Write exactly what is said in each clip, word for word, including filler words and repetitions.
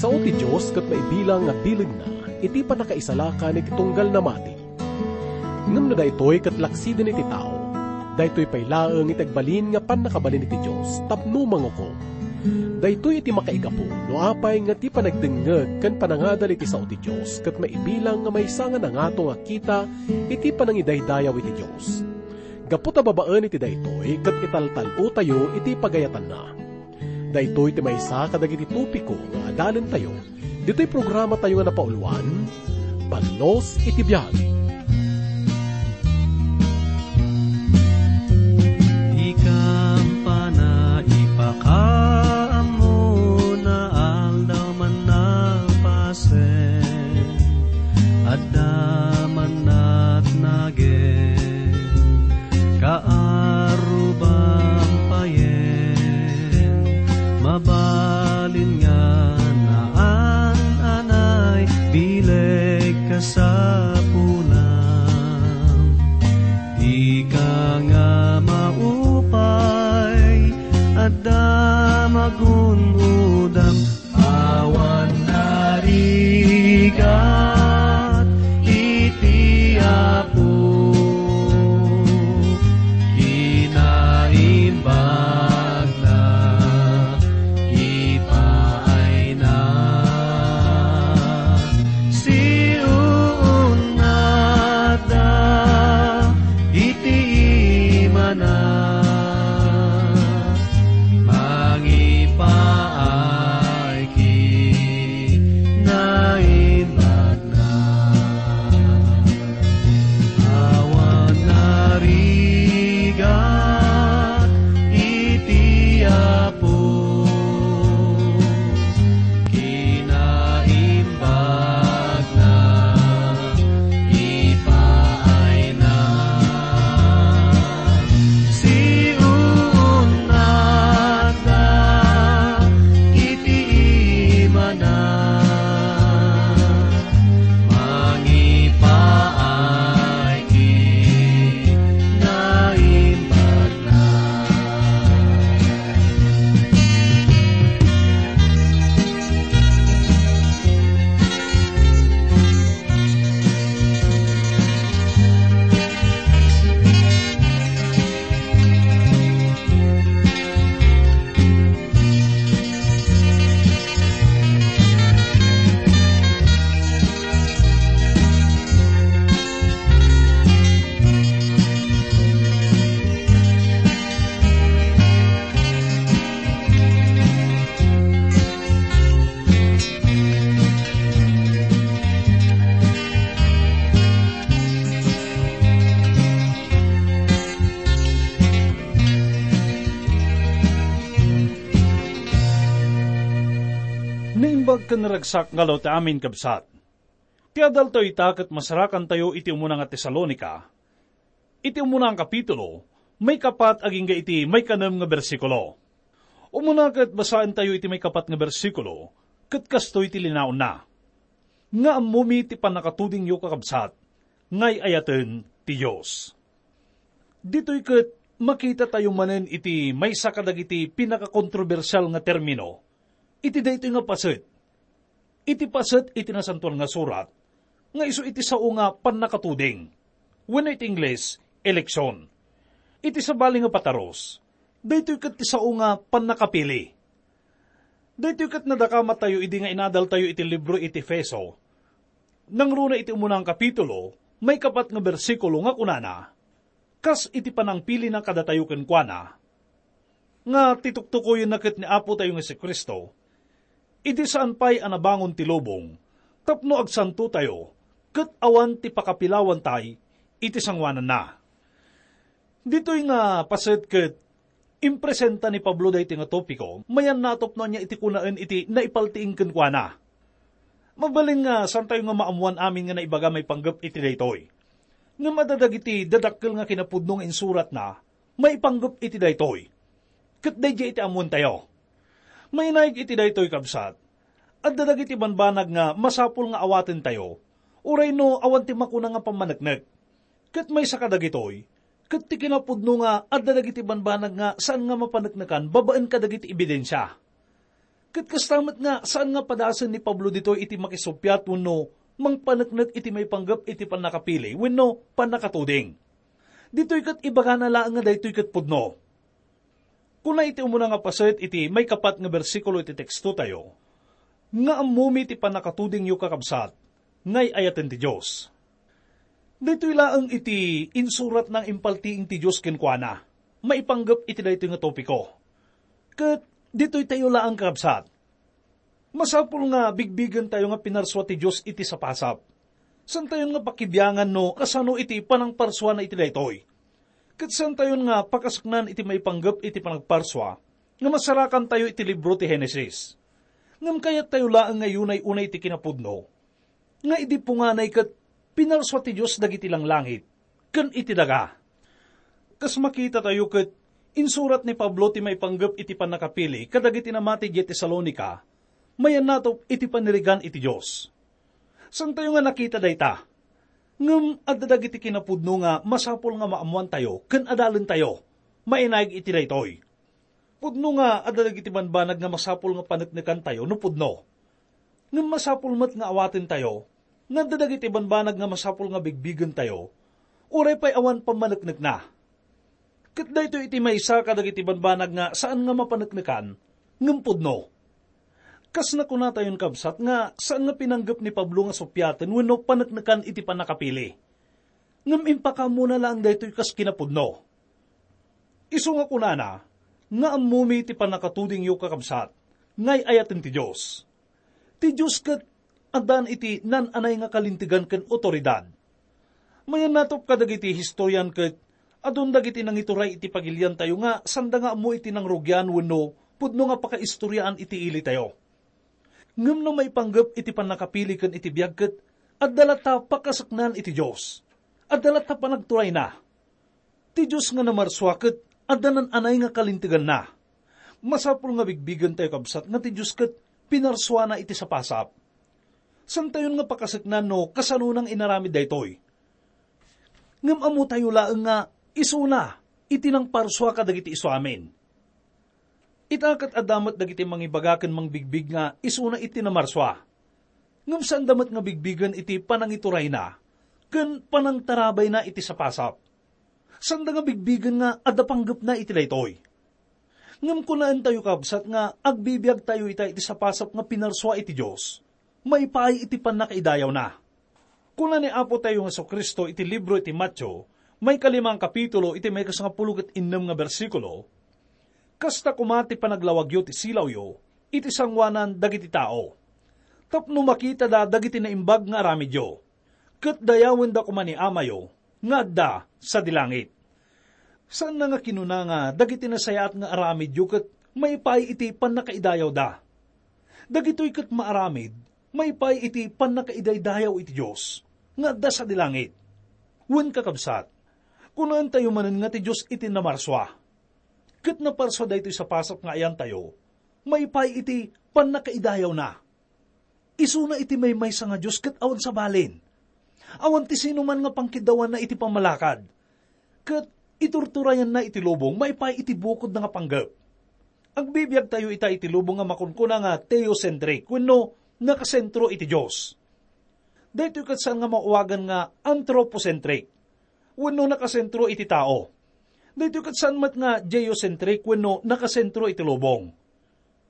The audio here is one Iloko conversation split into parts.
Sao ti Dios ket maibilang nga bilegna iti pannakaisalakan iti tunggal namati. Ngem no daytoy ket laksiden iti tao, daytoy pay laeng iti agbalin nga pannakabalin iti Dios tapno mangukom. Daytoy iti makaigapu no apay nga ti panagdengngeg ken panangadal iti sao ti Dios ket maibilang nga maysa nga nangato nga kita iti panangidaydayaw iti Dios. Gapu ta babaen iti daytoy ket italtal-otayo iti pagayatanna. Daytoy ti maysa kadagiti topiko nga adalentayo ditoy programatayo nga napauluan, Ballos iti Biag. Ikampana ipakaammo na aldaw man napasen, adda man natnagen. Kaarruban payen, mabalin nga naan-anay, bileg kasapulam. Dika nga maupay, adda magun-odam, awan narigat iti Apo. Kinaimbagna, ipaayna, siunnatda iti imana. Mangipaay kinaimbagna. Awan narigat iti Apo. Kinaimbagna, ipaayna, siunnatda iti imana. Mangipaay kinaimbagna. Naimbag ken naragsak nga aldaw ti amin, kabsat. Ti adaltayo ita ket masarakantayo iti umuna nga Tesalonica, iti umuna nga kapitulo, maikapat agingga iti maikanem nga bersikulo. Umuna ket basaentayo iti maikapat nga bersikulo, ket kastoy ti linaonna, "Nga ammomi ti pannakatudingyo, kakabsat, nga ay-ayaten ti Dios." Ditoy ket makitatayo manen iti maysa kadagiti pinakakontrobersial nga termino iti daytoy nga paset. Iti paset iti Nasantoan nga Surat nga isu iti sao nga pannakatuding, wenno iti Ingles, eleksyon. Iti sabali nga patarus, daytoy ket ti sao nga pannakapili. Daytoy ket nadakamatayo idi nga inadaltayo iti libro iti Efeso, nangruna iti umuna nga kapitulo, maikapat nga bersikulo nga kunana, kas iti panangpilina kadatayo kenkuana, nga ti tuktukoyenna ket ni Apotayo nga Jesu-Cristo, idi saan pay a nabangon ti lubong, tapno agsantotayo, ket awan ti pakapilawantay iti sangoananna. Ditoy nga paset ket impresenta ni Pablo daytoy nga topiko, mayan natupno ania iti kunaen iti naipaltiing kenkuana. Mabalin nga saantayo nga maammoan amin nga naibaga maipanggep iti daytoy. Ngem adda dagiti dadakkel nga kinapudno nga insuratna maipanggep iti daytoy. Ket daydiay iti ammoentayo. Mainaig iti daytoy, kabsat, adda dagiti banbanag nga masapul nga awatentayo, uray no awan ti makuna nga pammaneknek. Ket maysa kadagitoy, ket ti kinapudno nga adda dagiti banbanag nga saan nga mapaneknekan babaen kadagiti ebidensia. Ket kasta met nga saan nga padasen ni Pablo ditoy iti makisuppiat wenno mangpaneknek iti maipanggep iti pannakapili wenno pannakatuding. Ditoy ket ibagana laeng nga daytoy ket pudno. Kuna iti umuna nga paset iti maikapat nga bersikulo iti tekstotayo, nga ammomi ti pannakatudingyo, kakabsat, nga ay-ayaten ti Dios. Ditoy laeng iti insurat nga impaltiing ti Dios kenkuana, maipanggep iti daytoy nga topiko. Ket ditoy tayo laeng, kakabsat. Masapul nga bigbigentayo nga pinarsua ti Dios iti sapasap. Santayon nga pakibiangan no kasano iti panangparsuana iti daytoy. Ket santayon nga pakasaknan iti maipanggep iti panagparsua nga masarakantayo iti libro ti Genesis. Ngem kayattayo laeng nga yunay unay ti kinapudno, nga idi punganay ket pinarsua ti Dios dagiti langlangit ken iti daga. Kas makitatayo ket, insurat ni Pablo ti maipanggep iti pannakapili kadagiti namati idiay Tesalonica, mayannatop iti panirigan iti Dios. Santayo nga nakita dayta. Ngem adda dagiti kinapudno nga masapul nga maammoantayo ken adalentayo, mainaig iti daytoy. Pudno nga adda dagiti banbanag nga masapul nga paneknekantayo no pudno. Ngem masapul met nga awatentayo nga adda dagiti banbanag nga masapul nga bigbigentayo, uray pay awan pammaneknekna. Ket daytoy iti maysa kadagiti banbanag nga saan nga mapaneknekan ngem pudno. Kas nakunatayon, kabsat, nga saan nga pinanggep ni Pablo nga suppiaten wenno paneknekan iti pannakapili. Ngem impakaammona laeng daytoy kas kinapudno. Isu nga kunana nga ammomi ti pannakatudingyo, kakabsat, nga ay-ayaten ti Dios. Ti Dios ket addan iti nan-anay nga kalintegan ken awtoridad. Mayannatop kadagiti historian ket adun dagiti nangituray iti pagiliantayo nga sanda nga ammo iti nangrugian wenno pudno nga pakaistoriaan iti ilitayo. Ngem no maipanggep iti pannakapili ken iti biag ket adda latta pakasaknan iti Dios. Adda latta panagturayna. Ti Dios nga namarsua ket adda nan-anay nga kalinteganna. Masapul nga bigbigentayo, kabsat, nga ti Dios ket pinarsuana iti sapasap. Santayon nga pakasaknan no kasano nang inaramid daytoy. Ngem ammotayo laeng nga isuna iti nangparsua kadagiti isuamin. Ita ket adda met dagiti mangibaga ken mangbigbig nga isuna iti namarsua. Ngem saanda met nga bigbigen iti panangiturayna ken panangtarabayna iti sapasap. Saanda nga bigbigen nga adda panggepna iti daytoy. Ngem kunaentayo, kabsat, nga agbibiagtayo ita iti sapasap nga pinarsua iti Dios maipaay iti pannakaidayawna. Kuna ni Apotayo Jesu-Cristo iti libro iti Mateo, maikalima a kapitulo, iti maikasangapulo ket innem nga bersikulo, "Kasta koma ti panaglawagyo ti silawyo iti sangoanan dagiti tao, tapno makitada dagiti naimbag nga aramidyo, ket dayawenda koma ni Amayo nga adda sadi langit." Saanna nga kinuna nga dagiti nasayaat nga aramidyo ket maipaay iti pannakaidayawda. Dagitoy ket maaramid maipaay iti pannakaidaydayaw iti Dios nga adda sadi langit. Wen, kakabsat, kunaentayo manen nga ti Dios iti namarsua. Ket naparsua daytoy sapasap nga ayantayo maipaay iti pannakaidayawna. Isuna iti maymaysa nga Dios ket awan sabalin. Awan ti sinuman nga pangkiddawanna iti pammalakad, ket iturturayanna iti lubong maipaay iti bukodna nga panggep. Agbibiagtayo ita iti lubong nga makunkuna nga theocentric wenno nakasentro iti Dios. Daytoy ket saan nga maawagan nga anthropocentric wenno nakasentro iti tao. Daytoy ket saan met nga geocentric wenno nakasentro iti lubong.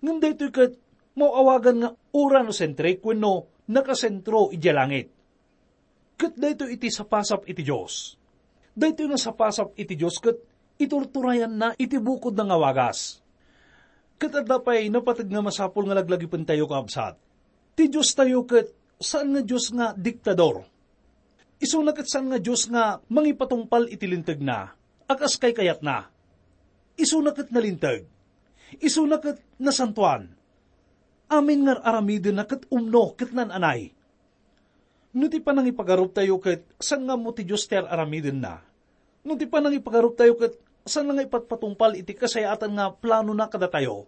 Ngem daytoy ket maawagan nga uranocentric wenno nakasentro idiay langit. Ket daytoy iti sapasap iti Dios. Daytoy nga sapasap iti Dios ket iturturayanna iti bukodna nga wagas. Ket adda pay napateg nga masapul nga laglagipentayo, kakabsat. Ti Diostayo ket saan nga Dios nga diktador. Isuna ket saan nga Dios nga mangipatungpal iti lintegna a kas kaykayatna. Isuna ket nalinteg. Isuna ket nasantoan. Amin nga ar-aramidenna ket umno ket nan-anay. No ti panangipagaruptayo ket saan nga ammo ti Dios ti ar-aramidenna, no ti panangipagaruptayo ket saan nga ipatpatungpal iti kasayaatan nga planona kadatayo,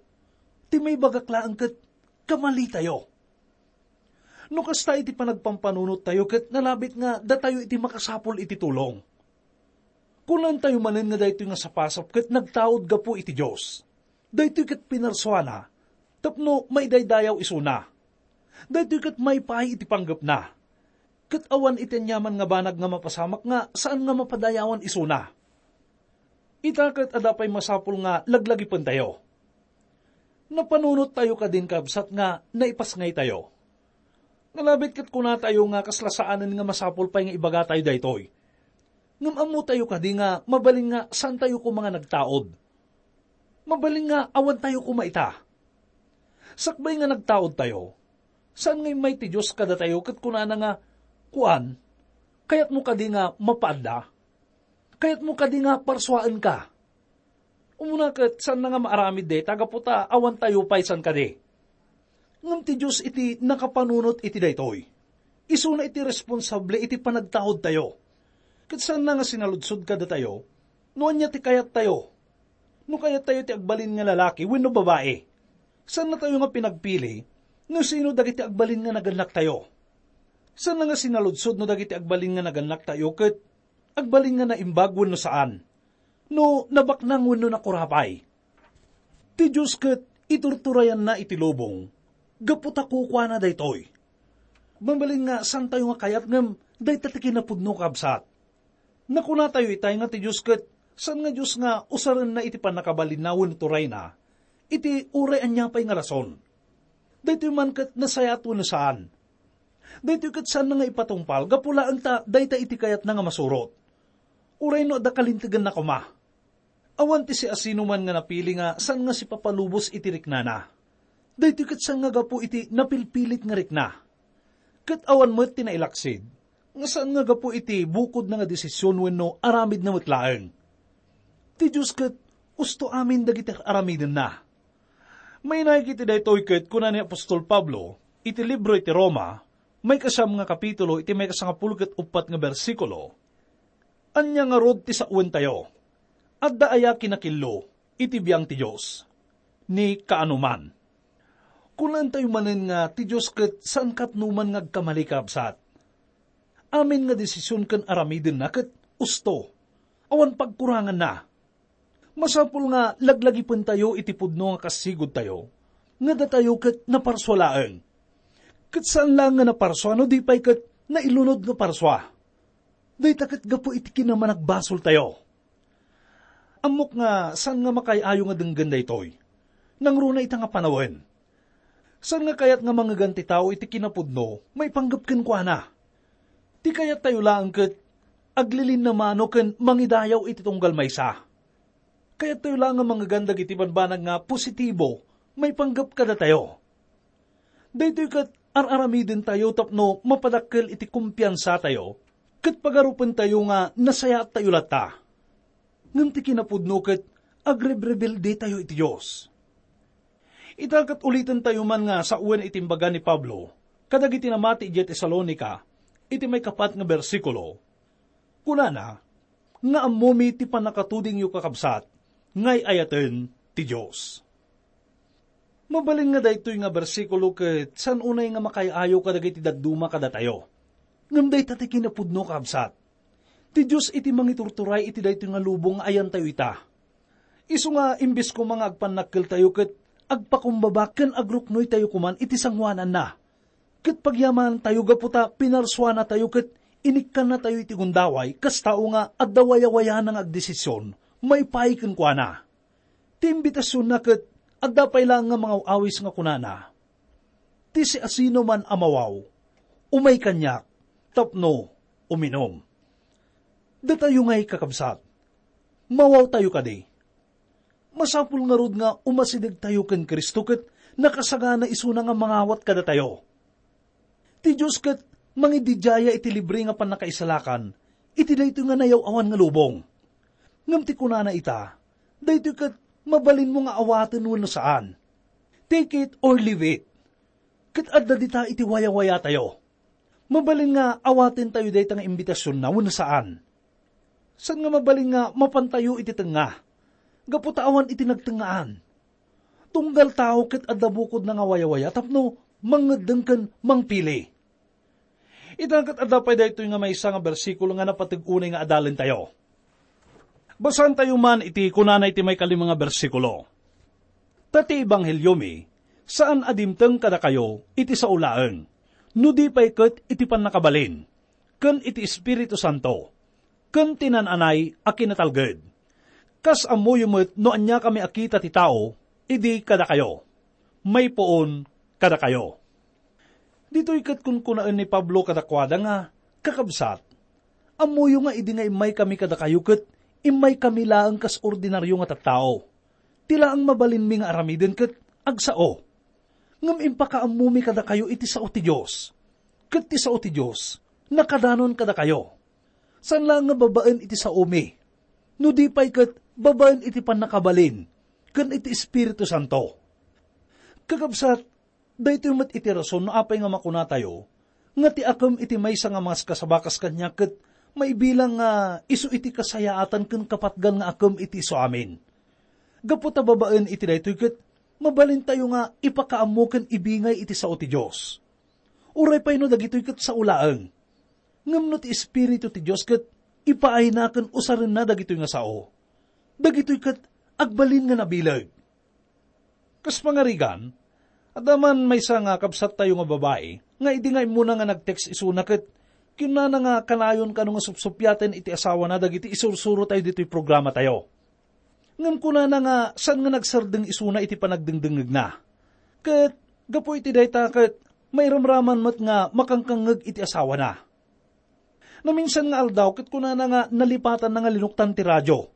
ti maibagak laeng ket kamalitayo. No kasta iti panagpampanunottayo ket nalabit nga datayo iti makasapul iti tulong. Kunantayo manen nga daytoy nga sapasap ket nagtaud gapu iti Dios. Daytoy ket pinarsuana, tapno maidaydayaw isuna. Daytoy ket maipaay iti panggepna. Ket awan iti aniaman nga banag nga mapasamak nga saan nga mapadayawan isuna. Ita ket adda pay masapul nga laglagipentayo. Napanunottayo kadin, kabsat, nga naipasngaytayo. Nalabit ket kunatayo nga kasla saanen nga masapul pay nga ibagatayo daytoy. Ngem ammotayo kadi nga mabalin nga saantayo koma nga nagtaud? Mabalin nga awantayo koma ita. Sakbay nga nagtaudtayo, saan nga immay ti Dios kadatayo ket kunana nga, "Kuan, kayatmo kadi nga mapaadda? Kayatmo kadi nga parsuaenka?" Umuna ket saanna nga maaramid dayta gapu ta awantayo pay saan kadi. Ngem ti Dios iti nakapanunot iti daytoy. Isuna iti responsable iti panagtaudtayo. Ket saanna nga sinaludsod kadatayo no ania ti kayattayo. No kayattayo ti agbalin nga lalaki wenno babai, saannatayo nga pinagpili no sino dagiti agbalin nga nagannaktayo. Saanna nga sinaludsod no dagiti agbalin nga nagannaktayo ket agbalin nga naimbag wenno saan, no nabaknang wenno nakurapay. Ti Dios ket iturturayanna iti lubong gapu ta kukuana daytoy. Mabalin nga saantayo nga kayat ngem dayta ti kinapudno, kabsat. Nakunatayo itay nga ti Dios ket saan nga Dios nga usarenna iti pannakabalinna wenno turayna iti uray ania pay nga rason. Daytoy man ket nasayaat wenno saan. Daytoy ket saanna nga ipatungpal gapu laeng ta dayta iti kayatna nga masurot. Uray no adda kalinteganna koma. Awan ti siasinoman nga napili nga saan nga sipapalubos iti riknana. Daytoy ket saan nga gapu iti napilpilit nga rikna. Ket awan met ti nailaksid nga saan nga gapu iti bukodna nga desisyon wenno aramidna met laeng. Ti Dios ket usto amin dagiti ar-aramidenna. Mainaig iti daytoy ket kuna ni apostol Pablo iti libro iti Roma, maikasiam nga kapitulo, iti maikasangapulo ket uppat nga bersikulo, "Ania ngarud ti sawenttayo? Adda aya kinakillo iti biang ti Dios? Ni kaanoman." Kunaentayo manen nga ti Dios ket saan katnoman nga agkamali, kabsat. Amin nga desisyon ken aramidenna ket usto. Awan pagkuranganna. Masapul nga laglagipentayo iti pudno nga kasigudtayo, nga datayo ket naparsua laeng. Ket saan laeng nga naparsua no di pay ket nailunod nga parsua. Dayta ket gapu iti kinamanagbasoltayo. Ammok nga saan nga makaay-ayo nga denggen daytoy. Nangruna ita nga panawen. Saan nga kayat nga mangegan ti tao iti kinapudno maipanggep kenkuana? Ti kayattayo laeng ket aglilinna mano ken mangidayaw iti tunggal maysa. Kayattayo laeng nga mangegan dagiti bambanag nga positibo maipanggep kadatayo. Daytoy ket ar-aramidentayo tapno mapadakkel iti kumpiansatayo ket pagarupentayo nga nasayaattayo latta. Ngem ti kinapudno ket agrebrebbeldetayo iti Dios. Ita ket ulitentayo man nga sawen iti imbaga ni Pablo kadagiti namati idiay Tesalonica iti maikapat nga bersikulo. Kunana, nga ammomi ti pannakatudingyo, kakabsat, nga ay-ayaten ti Dios. Mabalin nga daytoy nga bersikulo ket saan unay nga makaay-ayo kadagiti dadduma kadatayo. Ngem dayta ti kinapudno, kabsat. Ti Dios iti mangiturturay iti daytoy nga lubong nga ayantayo ita. Isu nga imbes koma nga agpannakkeltayo ket agpakumbaba ken agruknoytayo koman iti sangoananna. Ket pagyamanantayo gapu ta pinarsuanatayo ket inikkannatayo iti gundaway kas tao nga adda wayawayana nga agdesisyon maipaay kenkuana. Ti imbitasionna ket adda pay laeng nga mangaw-awis nga kunana, "Ti siasinoman a mawaw, umay kaniak tapno uminum." Datayo ngay, kakabsat, mawawtayo kadi. Masapul ngarud nga umasidegtayo ken Cristo ket nakasagana isuna nga mangawat kadatayo. Ti Dios ket mangididiaya iti libre nga pannakaisalakan iti daytoy nga nayaw-awan nga lubong. Ngem ti kunana ita, daytoy ket mabalinmo nga awaten wenno saan. Take it or leave it. Ket adda dita iti wayawayatayo. Mabalin nga awatentayo dayta nga imbitasionna wenno saan? Saan nga mabalin nga mapantayo iti tengnga, gapu ta awan iti nagtengngaan. Tunggal tao ket adda bukodna nga wayawaya tapno mangngeddeng ken mangpili. Ita ket adda pay daytoy nga maysa nga bersikulo nga napateg unay nga adalentayo. Basaentayo man iti kunana iti maikalima nga bersikulo, "Ta ti ebangheliomi, Saan a dimteng kadakayo iti sao laeng, no di pay ket iti pannakabalin, ken iti Espiritu Santo, ken ti naan-anay a kinatalged. Kas ammoyo met no ania kami a kita ti tao idi kadakayo, maipuon kadakayo. Ditoy ket kunkunaen ni Pablo kadakuada nga, "Kakabsat, ammoyo nga idi nga immaykami kadakayo ket immaykami laeng kas ordinario nga tattao. Ti laeng mabalinmi nga aramiden ket agsao. Ngem impakaammomi kadakayo iti sao ti Dios. Ket ti sao ti Dios, nakadanon kadakayo. Saan laeng nga babaen iti saomi, no di pay ket babaen iti pannakabalin ken iti Espiritu Santo." Kakabsat, daytoy met iti rason no apay nga makunatayo nga ti akem iti maysa nga maskasaba kas kaniak ket maibilang nga isu iti kasayaatan ken kapatgan nga akem iti isuamin. Gapu ta babaen iti daytoy ket mabalintayo nga ipakaammo ken ibingay iti sao ti Dios. Uray pay no dagitoy ket sao laeng. Ngem no ti Espiritu ti Dios ket ipaayna ken usarenna dagitoy nga sao, dagitoy ket agbalin nga nabileg. Kas pangarigan, adda man maysa nga kabsattayo nga babai nga idi nga immuna nga nag-text isuna ket kinunana nga kanayon kano nga supsuppiaten iti asawana dagiti isursurotayo ditoy programatayo. Ngem kunana nga saan nga nagsardeng isuna iti panagdengdengngegna. Ket gapu iti dayta ket mairamraman met nga makangkangngeg iti asawana. Naminsan nga aldaw ket kunana nga nalipatanna nga linuktan ti radio.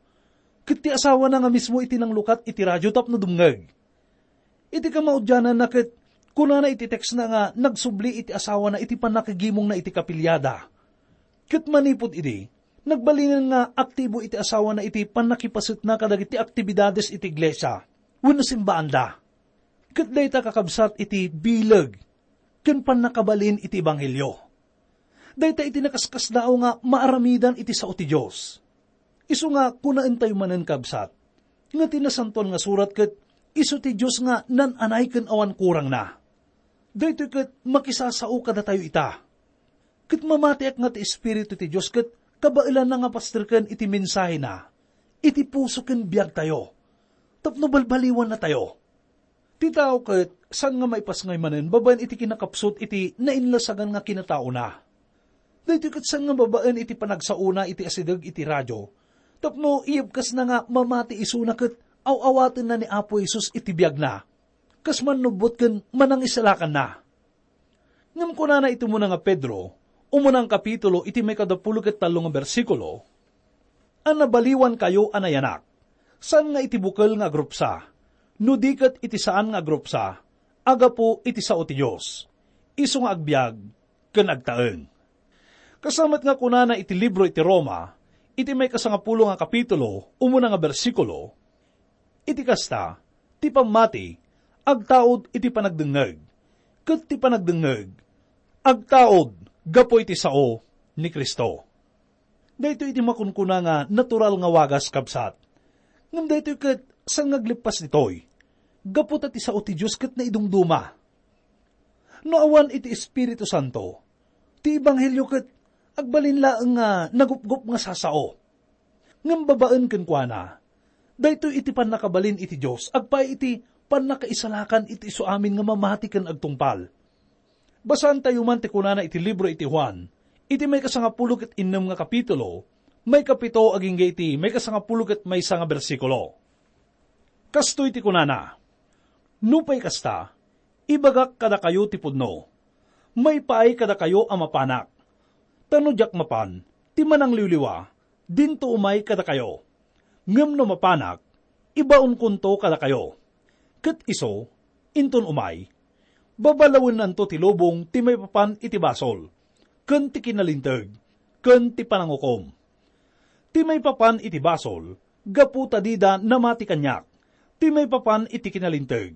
Ket ti asawana nga mismo iti nanglukat iti radio tapno dumngeg. Iti kamaudiananna ket kunana iti textna nga nagsubli iti asawana iti pannakigimongna iti kapiliada. Ket manipud idi, nagbalinen nga aktibo iti asawana iti pannakipasetna kadagiti aktibidades iti iglesia wenno simbaanda. Ket dayta kakabsat iti bileg ken pannakabalin iti ebanghelio. Dayta iti nakaskasdaaw nga maaramidan iti sao ti Dios. Isu nga kunaentayo manen, kabsat, nga ti Nasantoan nga Surat ket isu ti Dios nga naan-anay ken awan kurangna. Daytoy ket makisasao kadatayo ita. Ket mamatiak nga ti Espiritu ti Dios ket kabaelanna nga pasterken iti mensahena iti puso ken biagtayo tapno balbaliwannatayo. Ti tao ket saan nga maipasngay manen babaen iti kinakapsut iti nainlasagan nga kinataona. Daytoy ket saan nga babaen iti panagsaona iti asideg iti radio tapno iyebkasna nga mamati isuna ket aw-awatenna ni Apo Jesus iti biagna, kas mannubbot ken manangisalakanna. Ngem kunana iti umuna nga Pedro, umuna nga kapitulo iti maikadapulo ket tallo nga bersikulo, a nabaliwankayo a nayanak, saan nga iti bukel nga agrupsa, no di ket iti saan nga agrupsa, a gapu iti sao ti Dios, isu nga agbiag ken agtaeng. Kasta met nga kunana iti libro iti Roma, iti maikasangapulo nga kapitulo, umuna nga bersikulo, iti kasta, ti pammati agtaud iti panagdengngeg, ket ti panagdengngeg agtaud gapu iti sao ni Cristo. Daytoy iti makunkuna nga natural nga wagas, kabsat. Ngem daytoy ket saan nga agleppas ditoy, gapu ta ti sao ti Dios ket naidumduma. No awan iti Espiritu Santo, ti ebanghelio ket agbalin laeng nga nagupgop nga sasao. Ngem babaen kenkuana, daytoy iti pannakabalin iti Dios agpaay iti pannakaisalakan iti isuamin nga mamati ken agtungpal. Basaantayo man ti kunana iti libro iti Juan, iti maikasangapulo ket innem nga kapitulo, maikapito agingga iti maikasangapulo ket maysa nga bersikulo. Kastoy ti kunana, "Nupay kasta, ibagak kadakayo ti pudno. Maipaay kadakayo a mapanak. Ta no diak mapan, ti manangliwliwa, dinto umay kadakayo. Ngem no mapanak, ibaonkonto kadakayo. Ket isu, inton umay, babalawennanto ti lubong ti maipapan iti basol, ken ti kinalinteg, ken ti panangukom. Ti maipapan iti basol, gapu ta dida namati kaniak. Ti maipapan iti kinalinteg,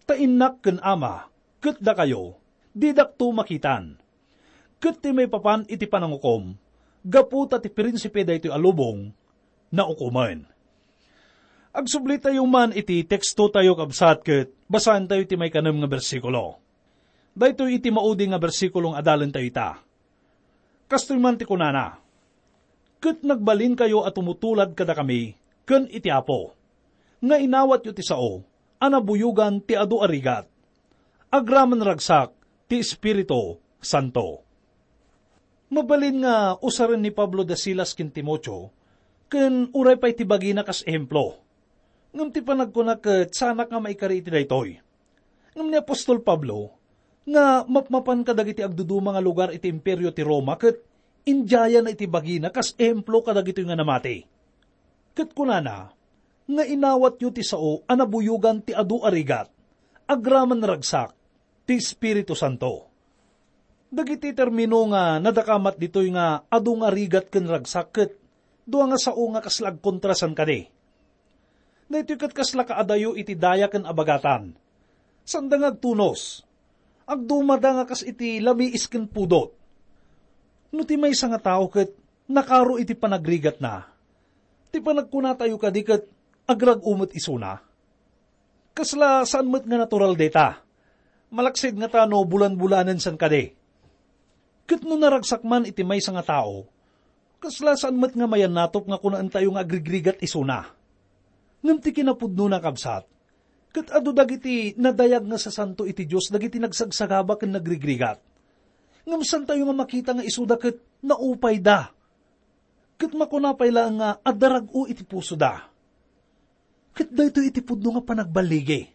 ta innak ken Ama, ket dakayo, didakto makitan. Ket ti maipapan iti panangukom, gapu ta ti prinsipe daytoy a lubong, naukomen." Agsublitayo man iti tekstotayo, kabsat, ket basaentayo ti maikanem nga bersikulo. Daytoy iti maudi nga bersikulo nga adalentayo ita. Kastoy man ti kunana, "Ket nagbalinkayo a tumutulad kadakami ken iti Apo, nga inawatyo ti sao a nabuyogan ti adu a rigat, Agraman ragsak ti Espiritu Santo. Mabalin nga usaren ni Pablo da Silas ken Timoteo, ken uray pay ti bagina kas ehemplo. Ngem ti panagkuna ket saanak nga maikari iti daytoy. Ngem ni apostol Pablo, nga mapmapan kadagiti agduduma nga lugar iti Imperio ti Roma ket indiayana iti bagina kas ehemplo kadagitoy nga namati. Ket kunana, nga inawatyo ti sao a nabuyogan ti adu a rigat, agraman ragsak ti Espiritu Santo. Dagiti termino nga nadakamat ditoy nga adu nga rigat ken ragsak ket dua nga sao nga kasla agkontra san kadi. Daytoy ket kasla kaadayo iti daya ken abagatan. Sanda nga agtunos. Agdumada nga kas iti lamiis ken pudot. No ti maysa nga tao ket nakaro iti panagrigatna, ti panagkunatayo kadi ket agrag-o met isuna. Kasla saan met nga natural dayta. Malaksid ngata no bulan-bulanen san kadi. Ket no naragsak man iti maysa nga tao, kasla saan met nga mayannatop nga kunaentayo nga agrigrigat isuna. Ngem ti kinapudnona, kabsat, ket adu dagiti nadayag nga sasanto iti Dios dagiti nagsagsagaba ken nagrigrigat. Ngem saantayo nga makita nga isuda ket naupayda. Ket makuna pay laeng nga adda rag-o iti pusoda. Ket daytoy iti pudno nga panagballigi.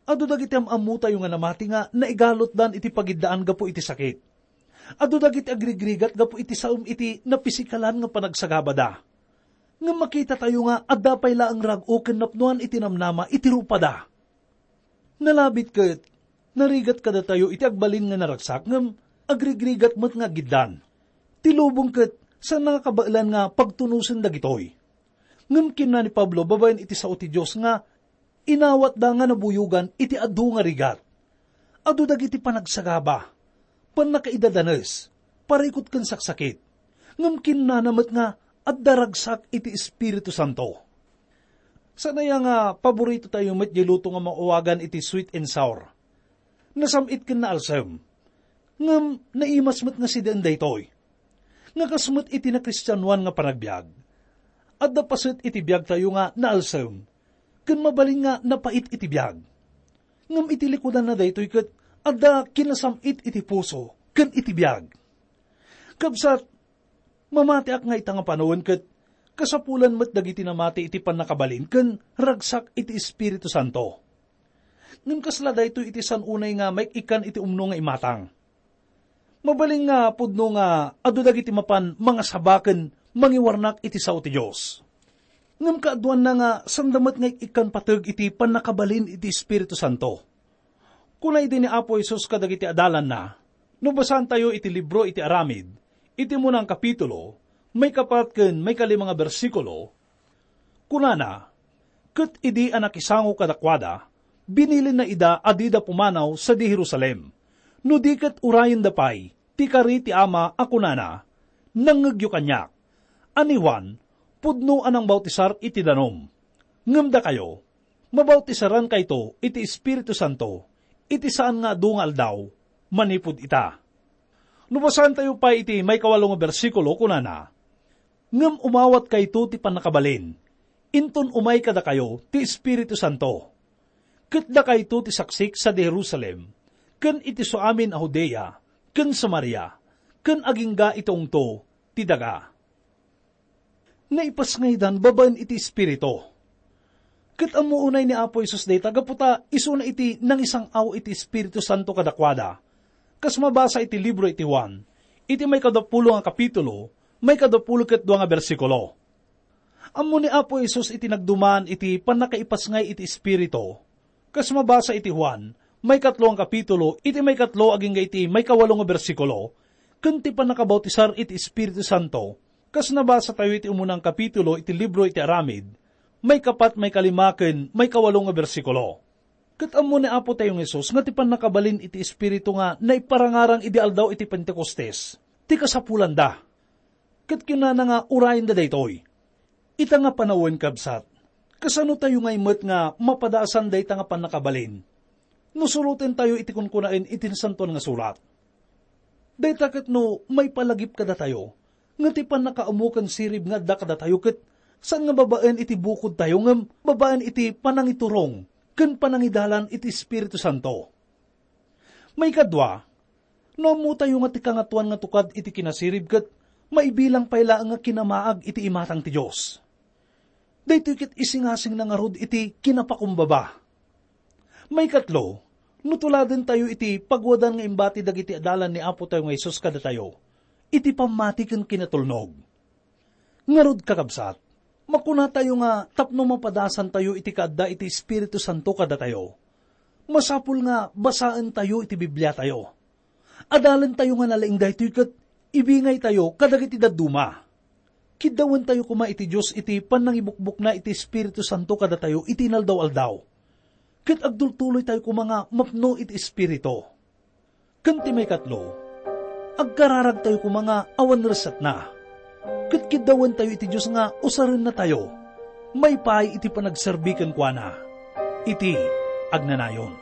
Adu dagiti am-ammotayo nga namati nga naigalutdan iti pagiddaan gapu iti sakit. Adu dagiti agrigrigat gapu iti saem iti napisikalan nga panagsagabada. Ngem makitatayo nga adda pay laeng rag-o ken napnoan iti namnama iti rupada. Nalabit ket narigat kadatayo iti agbalin nga naragsak ngem agrigrigat met nga agiddan. Ti lubong ket saanna nga kabaelan nga pagtunosen dagitoy. Ngem kinuna ni Pablo babaen iti sao ti Dios nga inawatda nga nabuyogan iti adu nga rigat. Adu dagiti panagsagaba, pannakaidadanes, parikut ken saksakit. Ngem kinnana met nga adda ragsak iti Espiritu Santo. Saan aya nga paborito tayo met diay luto nga maawagan iti sweet and sour? Nasam-it ken naalsem. Ngem naimas met nga sideen daytoy. Nga kas met iti nakristianoan nga panagbiag, adda paset iti biagtayo nga naalsem, ken mabalin nga napait iti biag. Ngem iti likudanna daytoy ket adda kinasam-it iti puso ken iti biag. Kabsat, mamatiak nga ita nga panawen ket kasapulan met dagiti namati iti pannakabalin ken ragsak iti Espiritu Santo. Ngem kasla daytoy iti san unay nga maik-ikkan iti umno nga imatang. Mabalin nga pudno nga adu dagiti mapan mangasaba ken mangiwarnak iti sao ti Dios. Ngem kaaduanna nga sanda met nga ik-ikkan pateg iti pannakabalin iti Espiritu Santo. Kuna idi ni Apo Jesus kadagiti adalanna, no basaantayo iti libro iti Aramid, iti umuna nga kapitulo, maikapat ken maikalima nga bersikulo, kunana, "Ket idi a nakisango kadakuada, binilinna ida a dida pumanaw sadi Jerusalem, no di ket urayenda pay ti kari ti Ama a kunana, 'Nangngegyo kaniak, a ni Juan, pudno a nangbautisar iti danum. Ngem dakayo, mabautisaran kayto iti Espiritu Santo iti saan nga adu nga aldaw manipud ita.'" No basaentayo pay iti maikawalo nga bersikulo, kunana, "Ngem umawat kayto ti pannakabalin, inton umay kadakayo ti Espiritu Santo. Ket dakayto ti saksik sadi Jerusalem, ken iti suamin a Judea, ken Samaria, ken agingga iti ungto ti daga." Naipasngaydan babaen iti Espiritu. Ket ammo unay ni Apo Jesus dayta gapu ta isuna iti nangisang-aw iti Espiritu Santo kadakuada. Kas mabasa iti libro iti Juan, iti maikadapulo nga kapitulo, maikadapulo ket dua nga bersikulo. Ammo ni Apo Jesus iti nagduman iti pannakaipasngay iti Espiritu. Kas mabasa iti Juan, maikatlo nga kapitulo, iti maikatlo agingga iti maikawalo nga bersikulo, ken ti pannakabautisar iti Espiritu Santo, kas nabasatayo iti umuna nga kapitulo iti libro iti Aramid, maikapat, maikalima, ken maikawalo nga bersikulo. Ket ammo ni Apotayo nga Jesus nga ti pannakabalin iti Espiritu nga naiparangarang idi aldaw iti Pentecostes, ti kasapulanda. Ket kinunana nga urayenda daytoy. Ita nga panawen, kabsat, kasano tayo ngay met nga mapadasan dayta nga pannakabalin? No surotentayo iti kunkunaen iti Nasantoan nga Surat. Dayta ket no maipalagip kadatayo, nga ti pannakaammo ken sirib nga adda kadatayo ket saan nga babaen iti bukodtayo ngem babaen iti panangiturong ken panangidalan iti Espiritu Santo. Maikadua, no ammotayo nga ti Kangatoan nga tukad iti kinasirib ket maibilang pay laeng nga kinamaag iti imatang ti Dios, daytoy ket isingasingna ngarud iti kinapakumbaba. Maikatlo, no tuladentayo iti pagwadan nga imbati dagiti adalan ni Apotayo nga Jesus kadatayo iti pammati ken kinatulnog. Ngarud, kakabsat, makunatayo nga tapno mapadasantayo iti kaadda iti Espiritu Santo kadatayo, masapul nga basaentayo iti Bibliatayo. Adalentayo nga nalaing daytoy ket ibingaytayo kadagiti dadduma. Kiddawentayo koma iti Dios iti pannangibukbokna iti Espiritu Santo kadatayo iti inaldaw-aldaw. Ket agtultuloytayo koma nga mapno iti Espiritu. Ken ti maikatlo, agkararagtayo koma nga awan resatna. Ket kiddawentayo iti Dios nga usarennatayo maipaay iti panagserbi kenkuana iti agnanayon.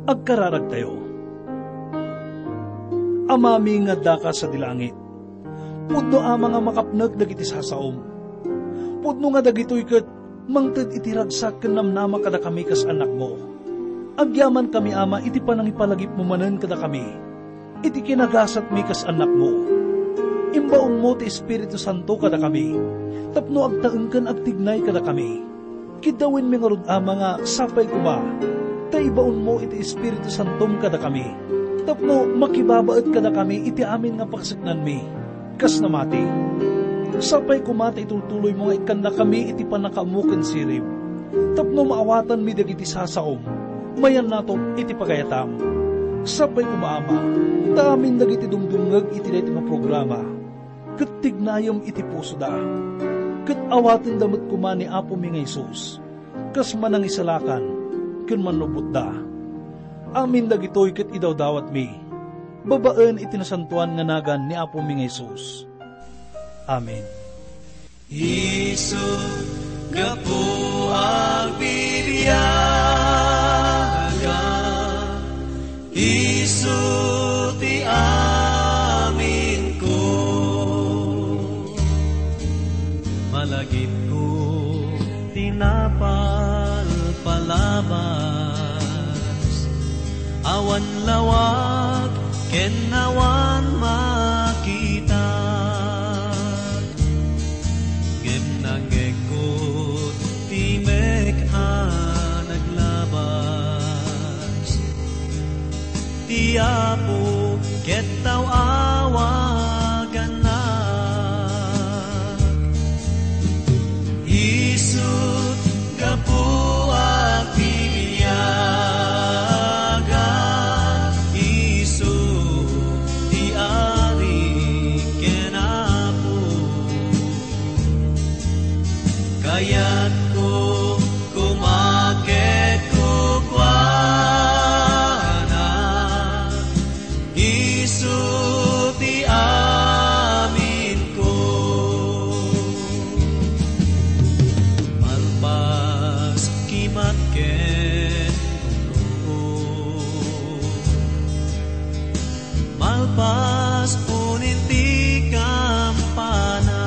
Agkararagtayo. Amami nga addaka sadi langit, pudno Ama nga makapnek dagiti sasaom. Pudno nga dagitoy ket mangted iti ragsak ken namnama kadakami kas annakmo. Agyamankami, Ama, iti panangipalagipmo manen kadakami iti kinagasatmi kas annakmo. Imbaonmo ti Espiritu Santo kadakami tapno agtaeng ken agtignay kadakami. Kiddawenmi ngarud, Ama, nga sapay koma ta ibaonmo iti Espiritu Santom kadakami tapno makibabaet kadakami iti amin nga pakseknanmi kas namati. Sapay koma ta itultuloymo nga ikkannakami iti pannakaammo ken sirib tapno maawatanmi dagiti sasaom. Mayannatom iti pagayatam. Sapay koma, Ama, ta amin dagiti dumdumngeg iti daytoy nga programa ket tignayem iti pusoda. Ket awatenda met koma ni Apomi nga Jesus kas manangisalakan ken mannubbotda. Amin dagitoy ket idawdawatmi babaen iti nasantoan nga nagan ni Apomi nga Jesus. Amen. Isu, gapu agbibiaga, isu ti aminko. Malagipko ti napalpalabas, awan lawag ken awan makita. Ngem nangngegko ti mek a naglabas. Ti Apo ket awagannak. Isut' gapu agbibiaga, isu ti Ari ken Apo. Kayatko koma ket kukuana, isu ti aminko. Malpas kimat ken gurruod, malpas punin ti kampana,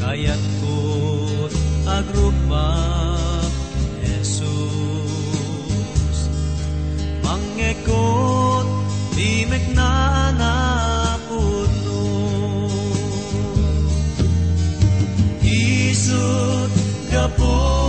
kayatko agrukbab ken Jesus. Mangngegko ti mekna a napudno. Isut' gapu